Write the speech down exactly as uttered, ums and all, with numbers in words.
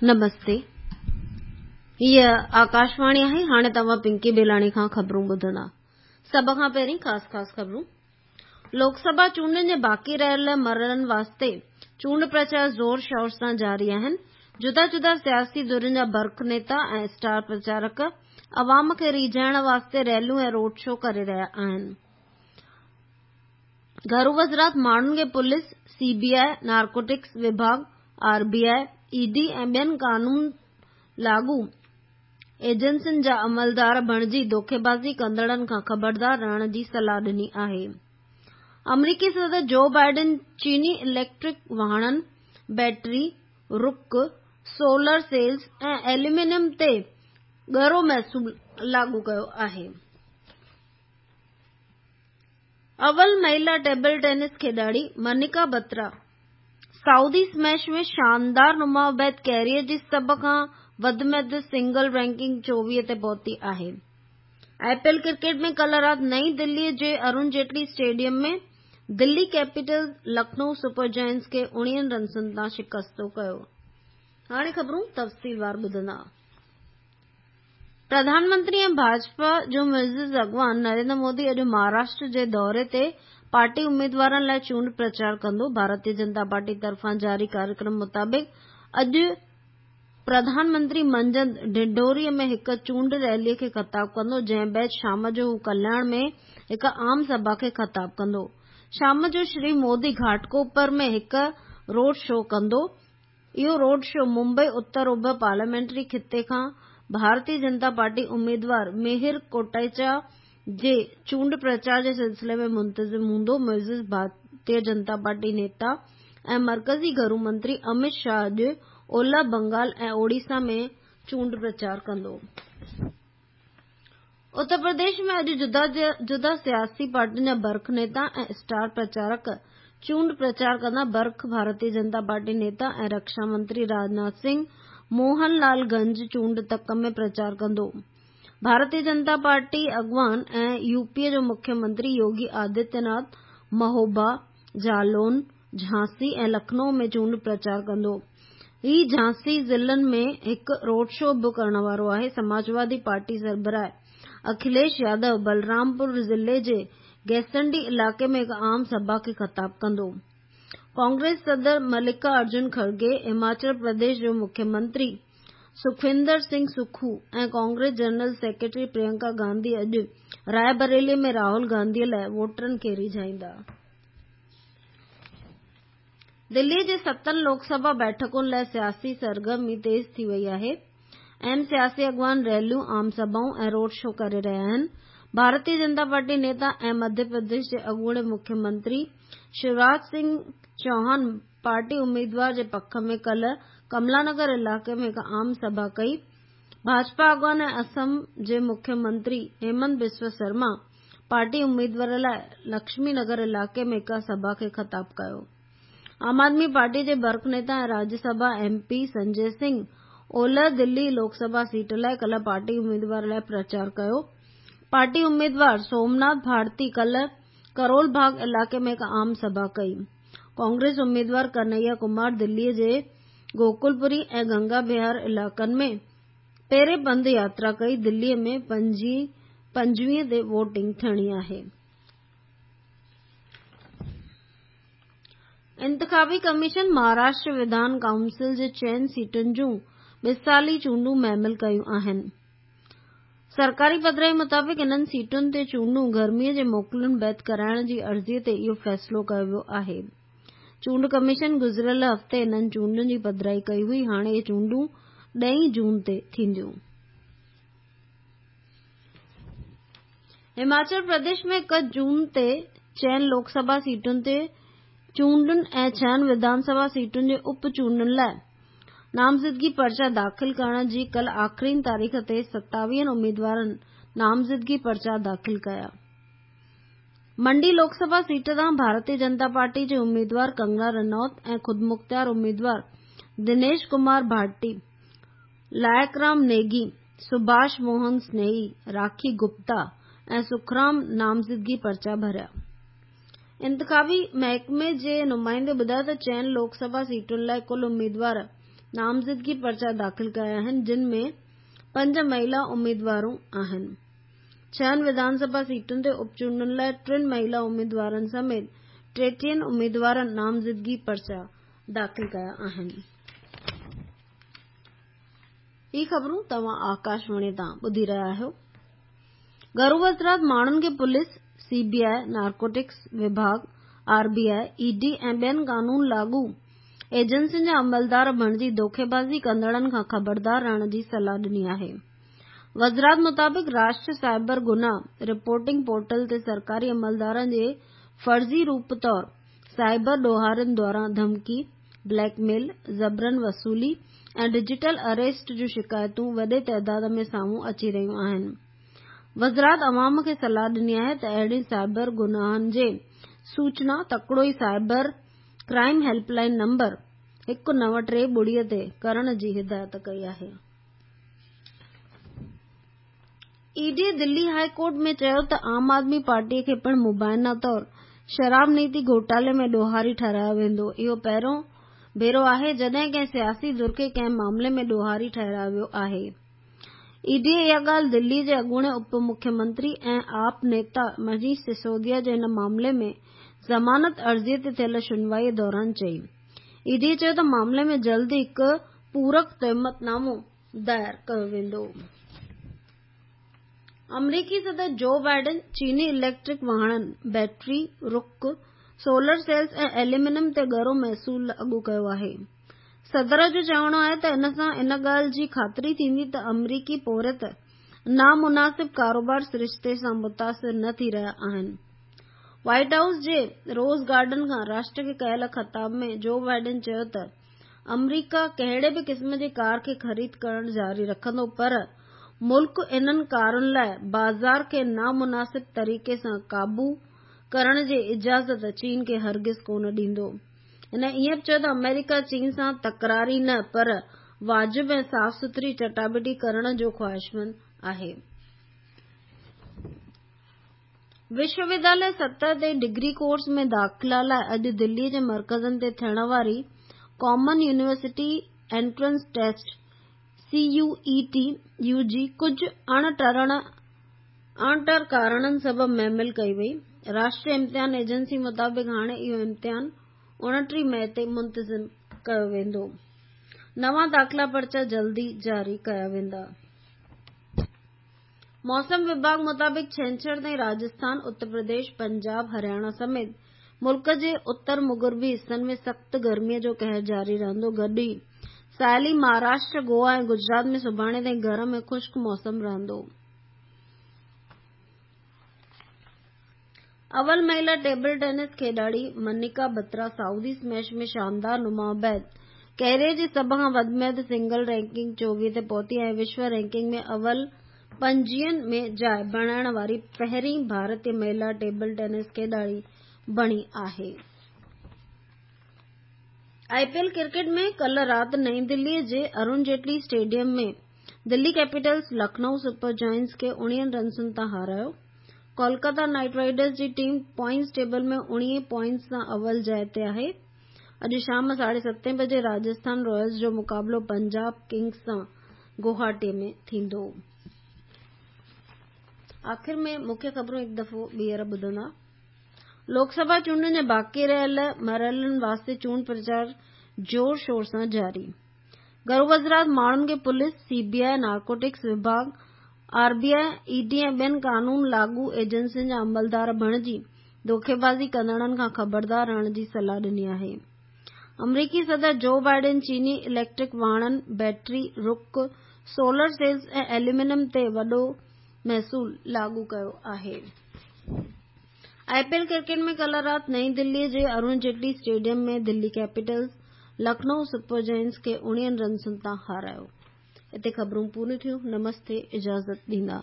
نمستي، هيء آڪاشواڻي آهي. هاڻي توهان پنڪي بيلاڻي کان خبرون ٻڌندا. سڀ کان پهرين خاص خاص خبرون. لوڪ سڀا چونڊن جي باقي رهيل مرحلن واسطي چونڊ پرچار زور شور سان جاري آهن. جدا جدا سياسي ڌرين جا برک نيتا ۽ اسٽار پرچارڪ عوام کي ريجهائڻ واسطي ريليون ۽ روڊ شو ڪري رهيا آهن. گهرو وزارت ماڻهن کي police, C B I, narcotics وڀاڳ، R B I, E D ۽ ٻين قانون لاڳو ايجنسين جا عملدار بڻجي دوکيبازي ڪندڙن کان خبردار رهڻ جي صلاح ڏني آهي. آمريڪي صدر جو بائيڊن چيني اليڪٽرڪ واهڻن، بيٽري، رڪ، سولر سيلز ۽ ايلومينيم تي ڳرو محصول لاڳو ڪيو آهي. اول مهلا ٽيبل ٽينس کيڏاڙي منيڪا بترا سعودي اسميش ۾ شاندار نماءُ بعد ڪيريئر جي سڀ کان وڌ ۾ وڌ سنگل رينڪنگ چوويهه تي پهتي آهي. I P L cricket ۾ ڪالهه رات نئين دلي جي Arun Jetley stadium ۾ Delhi Capitals Lucknow Super Giants کي اڻويهن رنسن تان شڪست ڪيو. هاڻي خبرون تفصيلوار ٻڌندا. پرڌان منتري ۽ ڀاجپا جو معزز اڳواڻ نريندر مودي اڄ مهاراشٽر جي دوري تي پارٽي اميدوارن لاءِ چونڊ پرچار ڪندو. ڀارتيه جنتا پارٽي طرفان جاري ڪاريڪرم مطابق اڄ پرڌان منتري منجهند ڊنڊوري ۾ هڪ چونڊ ريلي کي خطاب ڪندو، جنهن بعد شام جو هو ڪلياڻ ۾ هڪ عام سڀا کي خطاب ڪندو. شام جو شري مودي گهاٽڪوپر ۾ هڪ روڊ شو ڪندو. اهو روڊ شو ممبئي اتر اوڀر پارليامينٽري خطي کان ڀارتيه جنتا پارٽي اميدوار مهر ڪوٽيچا جي چونڊ پرچار جي سلسلي ۾ منتظم هوندو. معزز ڀارتيه جنتا پارٽي نيتا ۽ مرڪزي گهرو منتري امت شاهه اڄ اولهه بنگال ۽ اوڙيسا ۾ چونڊ پرچار ڪندو. اتر پرديش ۾ اڄ جدا جدا سياسي پارٽين جا برک نيتا ۽ اسٽار پرچارڪ چونڊ پرچار ڪندا. برک ڀارتيه جنتا پارٽي نيتا ۽ رڪشا منتري راجناٿ سنگهه موهن لال گنج چونڊ تڪ ۾ پرچار ڪندو. ڀارتيه جنتا پارٽي اڳواڻ ۽ يوپي جو مکيه منتري يوگي آدتيه ناٿ مهوبا، جالون، جهانسي ۽ لکنؤ ۾ چونڊ پرچار ڪندو. هي جهانسي ضلعن ۾ هڪ روڊ شو به ڪرڻ وارو آهي. سماجوادي پارٽي سربراهه اکليش يادو بلرامپور ضلعي جي گيسنڊي علائقي ۾ هڪ عام سڀا کي خطاب ڪندو. ڪانگريس صدر ملڪا ارجن کڙگي، هماچل پرديش جو مکيه منتري سکوندر سنگهه سکو ۽ Congress general secretary Priyanka Gandhi اڄ راءِ بريلي ۾ راهول گانڌي لاءِ ووٽرن کي ريجهائيندا. دلي جي ستن لوڪ سڀا بيٺڪن لاءِ سياسي سرگرمي تيز ٿي وئي آهي. اهم سياسي اڳواڻ ريليون، عام سڀائون ۽ روڊ شو ڪري رهيا آهن. ڀارتيه جنتا پارٽي نيتا ۽ مڌيه پرديش جي اڳوڻي مکيه منتري شيوراج سنگهه چوهان پارٽي اميدوار جي پک ۾ ڪالهه ڪملا نگر علائقي ۾ هڪ عام سڀا ڪئي. ڀاجپا اڳواڻ ۽ اسم جي مکيه منتري هيمنت بسوا شرما پارٽي اميدوار لاءِ لڪشمي نگر علائقي ۾ هڪ سڀا کي خطاب ڪيو. عام آدمي پارٽي جي برک نيتا ۽ راجيه سڀا ايم پي سنجي سنگهه اولهه دلي لوڪ سڀا سيٽ لاءِ ڪالهه پارٽي اميدوار لاءِ پرچار ڪيو. پارٽي اميدوار سومناٿ ڀارتي ڪالهه ڪرول باغ علائقي ۾ هڪ عام سڀا ڪئي. ڪانگريس اميدوار ڪنهيا ڪمار دلي جي گوڪلپوري ۽ گنگا وهار علائقن ۾ پيرين پنڌ ياترا ڪئي. دلي ۾ پنجويهه تي ووٽنگ ٿيڻي آهي. انتخابي ڪميشن مهاراشٽر وڌان ڪائونسل جي چئن سيٽن جون ٻه سالي چونڊون معمل ڪيون آهن. سرڪاري پڌرائي مطابق انهن سيٽن تي چونڊون گرميءَ جي موڪلن بعد ڪرائڻ جي عرضي تي اهو فيصلو ڪيو ويو آهي. چونڊ ڪميشن گذريل هفتي انهن چونڊن جي پڌرائي ڪئي هئي. هاڻي اهي چونڊون ڏهين جون تي ٿينديون. هماچل پرديش ۾ هڪ جون تي چئن لوڪ سڀا سيٽن تي چونڊن ۽ ڇهن وڌان سڀا سيٽن جي اپ چونڊن لاءِ نامزدگي پرچا داخل ڪرڻ جي ڪالهه آخرين تاريخ تي ستاويهن اميدوارن نامزدگي پرچا داخل ڪيا. منڊي لوڪ سڀا سيٽ تان ڀارتيه جنتا پارٽي جي اميدوار ڪنگنا رنوت ۽ خودمختيار اميدوار دنيش ڪمار ڀاٽي، لائق رام نيگي، سڀاش موهن سنيهي، راکي گپتا ۽ سکرام نامزدگي پرچا ڀريا. انتخابي محڪمي جي نمائندي ٻڌايو ته چئن لوڪ سڀا سيٽن لاءِ ڪل اميدوار نامزدگي پرچا داخل ڪيا آهن، جن ۾ پنج مهلا اميدوارون آهن. ڇهن وڌان سڀا سيٽن تي اپچونڊن لاءِ ٽن مهلا اميدوارن سميت ٽيٽيهن اميدوارن نامزدگي پرچا داخل ڪيا آهن. هي خبرون توهان آڪاشواڻي تان ٻڌي رهيا آهيو. گهرو وزارت ماڻهن کي police, C B I, narcotics وڀاڳ، R B I, E D ۽ ٻين قانون لاڳو ايجنسين جا عملدار بڻجي دوکيبازي ڪندڙن کان خبردار رهڻ جي صلاح ڏني آهي. وزارت مطابق راشٽر سائبر گناهه رپورٽنگ پورٽل تي سرڪاري عملدارن جي فرضي روپ طور سائبر ڏوهارين دواران ڌمڪي، بليڪ ميل، زبرن وصولي ۽ ڊجيٽل اريسٽ جون شڪايتون وڏي تعداد ۾ سامهون اچي رهيون آهن. وزارت عوام کي صلاح ڏني آهي ته اهڙين سائبر گناهن جي سوچنا تڪڙو ئي cyber crime help line number هڪ نو ٽي ٻڙي تي ڪرڻ جي هدايت ڪئي آهي. اي ڊي دلي هاء ڪورٽ ۾ چيو ته عام آدمي پارٽي کي پڻ مبينا طور شراب نيتي گهوٽالي ۾ ڏوهاري ٺهرايو ويندو. اهو پهريون ڀيرو آهي جڏهن ڪنهن سياسي ڌر کي ڪنهن معاملي ۾ ڏوهاري ٺهرايو ويو آهي. اي ڊي اها ڳالهه دلي جي اڳوڻي اپ مکيه منتري ۽ آپ نيتا منيش سسوديا جي هن معاملي ۾ ضمانت عرضي تي ٿيل شنوائي دوران چئي. اي ڊي چيو ته معاملي ۾ جلد هڪ پورڪ تهمت نامو دائر ڪيو ويندو. آمريڪي صدر جو بائيڊن چيني اليڪٽرڪ واهڻن، بيٽري، رڪ، سولر سيلز ۽ ايلومينيم تي ڳرو محصول لاڳو ڪيو آهي. صدر جو چوڻ آهي ته ان سان ان ڳالهه جي خاطري ٿيندي ته آمريڪي پورهيت نامناسب ڪاروبار سرشتي سان متاثر نه ٿي رهيا آهن. وائيٽ هائوس جي روز گارڊن کان راشٽر کي ڪيل خطاب ۾ جو بائيڊن چيو ته آمريڪا ڪهڙي به قسم جي ڪار کي خريد ڪرڻ جاري رکندو، پر ملڪ انهن ڪارن لاءِ بازار کي نامناسب طريقي سان قابو ڪرڻ جي اجازت چين کي هرگز ڪونه ڏيندو. هن ائين به چيو ته آمريڪا چين سان تڪراري نه پر واجب ۽ صاف سٿري چٽاڀيٽي ڪرڻ جو خواهشمند آهي. وشو ودياليه سطح تي ڊگري ڪورس ۾ داخلا لاءِ اڄ دلي جي مرڪزن تي ٿيڻ واري common university entrance test C U E T U جي ڪجهه اڻٽر ڪارڻن سبب مهمل ڪئي وئي. راشٽريه امتحان ايجنسي مطابق هاڻي اهو امتحان اڻٽيهه مئي تي منتظم ڪيو ويندو. نوان داخلا پرچا جلدي جاري ڪيا ويندا. موسم وڀاڳ مطابق ڇنڇر تائين راجسٿان، اتر پرديش، پنجاب، هرياڻا سميت ملڪ جي اتر مغربي حصن ۾ سخت گرمي جو قهر جاري رهندو. گڏ ئي ساحلي مهاراشٽر، گوا ۽ گجرات ۾ سڀاڻي تائين گرم ۽ خشڪ موسم رهندو. اول مهلا ٽيبل ٽينس کيڏاڙي منيڪا بترا سعودي اسميش ۾ شاندار نماءُ بعد ڪيريئر جي سڀ کان وڌ ۾ وڌ سنگل رينڪنگ چوويهه تي پهتي ۽ وشو رينڪنگ ۾ اول پنجويهن ۾ جاءِ بڻائڻ واري پهرين ڀارتي مهلا ٽيبل ٽينس کيڏاڙي بڻي آهي. آءِ پي ايل ڪرڪيٽ ۾ ڪالهه رات نئين دلي جي Arun Jetley stadium ۾ Delhi Capitals Lucknow super giants کي اڻويهن رنسن تان هارايو. ڪولڪاتا نائيٽ رائيڊرز جي ٽيم پوائنٽس ٽيبل ۾ اڻويهه پوائنٽس سان اول جاءِ تي آهي. اڄ شام ساڍي ستين بجي راجسٿان رائلز جو مقابلو پنجاب ڪنگز سان گوهاٽي ۾ ٿيندو. آخر ۾ مکيه خبرون هڪ دفعو ٻيهر ٻڌندا. لوڪ سڀا چونڊن جي باقي رهيل مرحلن واسطي چونڊ پرچار زور شور سان جاري. گهرو وزارت ماڻهن کي police, C B I, narcotics وڀاڳ، R B I, E D ۽ ٻين قانون لاڳو ايجنسين جا عملدار بڻجي دوکيبازي ڪندڙن کان خبردار رهڻ جي صلاح ڏني آهي. آمريڪي صدر جو بائيڊن چيني اليڪٽرڪ واهڻن، بيٽري، رڪ، سولر سيلز ۽ ايلومينيم تي وڏو محصول لاڳو ڪيو آهي. آءِ پي ايل ڪرڪيٽ ۾ ڪالهه رات نئين دلي جي Arun Jetley stadium ۾ Delhi Capitals Lucknow super giants کي اڻويهن رنسن تان هارايو. اتي خبرون پوريون ٿيون. نمستي، اجازت ڏيندا.